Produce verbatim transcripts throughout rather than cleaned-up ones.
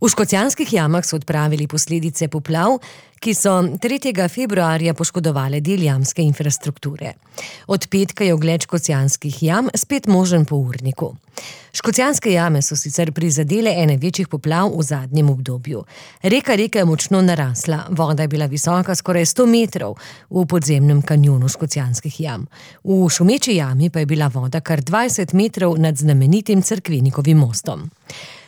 V Škocjanskih jamah so odpravili posledice poplav, ki so tretjega februarja poškodovale del jamske infrastrukture. Od petka je ogled Škocjanskih jam spet možen po urniku. Škocjanske jame so sicer prizadele ene večjih poplav v zadnjem obdobju. Reka Reka je močno narasla, voda je bila visoka skoraj sto metrov v podzemnem kanjonu Škocjanskih jam. V Šumeči jami pa je bila voda kar dvajset metrov nad znamenitim Cerkvenikovim mostom.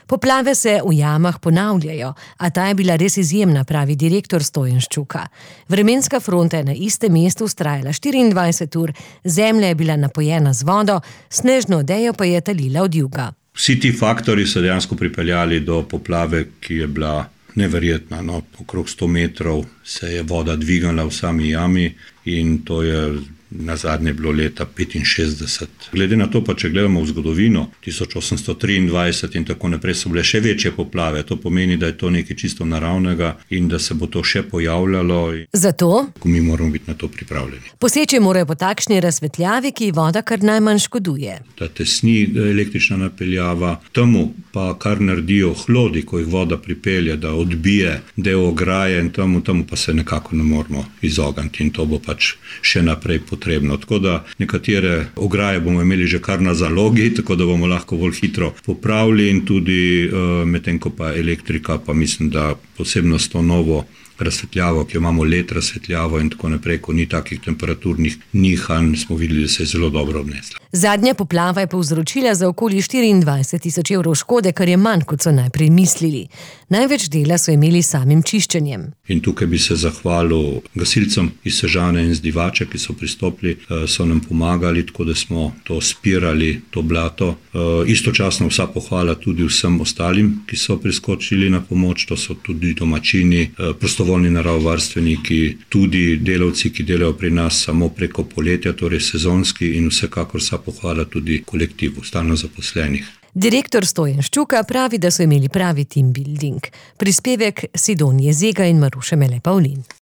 Poplave se v jamah ponavljajo, a ta je bila res izjemna, pravi direktor Stojan Ščuka. Vremenska fronta je na istem mestu vztrajala štiriindvajset ur, zemlja je bila napojena z vodo, snežno odejo pa je talila od juga. Vsi ti faktorji so dejansko pripeljali do poplave, ki je bila neverjetna. No, okrog sto metrov se je voda dvignila v sami jami in to je nazadnje bilo leta petinšestdeset. Glede na to pa, če gledamo v zgodovino, tisoč osemsto triindvajset in tako naprej so bile še večje poplave. To pomeni, da je to nekaj čisto naravnega in da se bo to še pojavljalo. Zato mi moramo biti na to pripravljeni. Poseči morajo po takšni razsvetljavi, ki voda kar najmanj škoduje. Da tesni električna napeljava, temu pa kar naredijo hlodi, ko jih voda pripelje, da odbije del ograje in temu, temu pa se nekako ne moramo izogniti in to bo pač še naprej potrebno. Tako da nekatere ograje bomo imeli že kar na zalogi, tako da bomo lahko bolj hitro popravili in tudi uh, medtem ko pa elektrika, pa mislim, da posebno s to novo razsvetljavo, ki jo imamo let razsvetljavo in tako naprej, ko ni takih temperaturnih nihanj, smo videli, da se je zelo dobro obnesla. Zadnja poplava je povzročila za okoli štiriindvajset tisoč evrov škode, kar je manj, kot so najprej mislili. Največ dela so imeli samim čiščenjem. In tukaj bi se zahvalil gasilcem iz Sežane in z Divače, ki so pristopili, so nam pomagali, tako da smo to spirali, to blato. Istočasno vsa pohvala tudi vsem ostalim, ki so priskočili na pomoč, to so tudi domačini, prostovoljni naravovarstveniki, tudi delavci, ki delajo pri nas samo preko poletja, torej sezonski, in vsekakor vsa pohvala tudi kolektivu stalno zaposlenih. Direktor Stojan Ščuka pravi, da so imeli pravi team building. Prispevek Sidonije Zega in Maruše Mele Pavlin.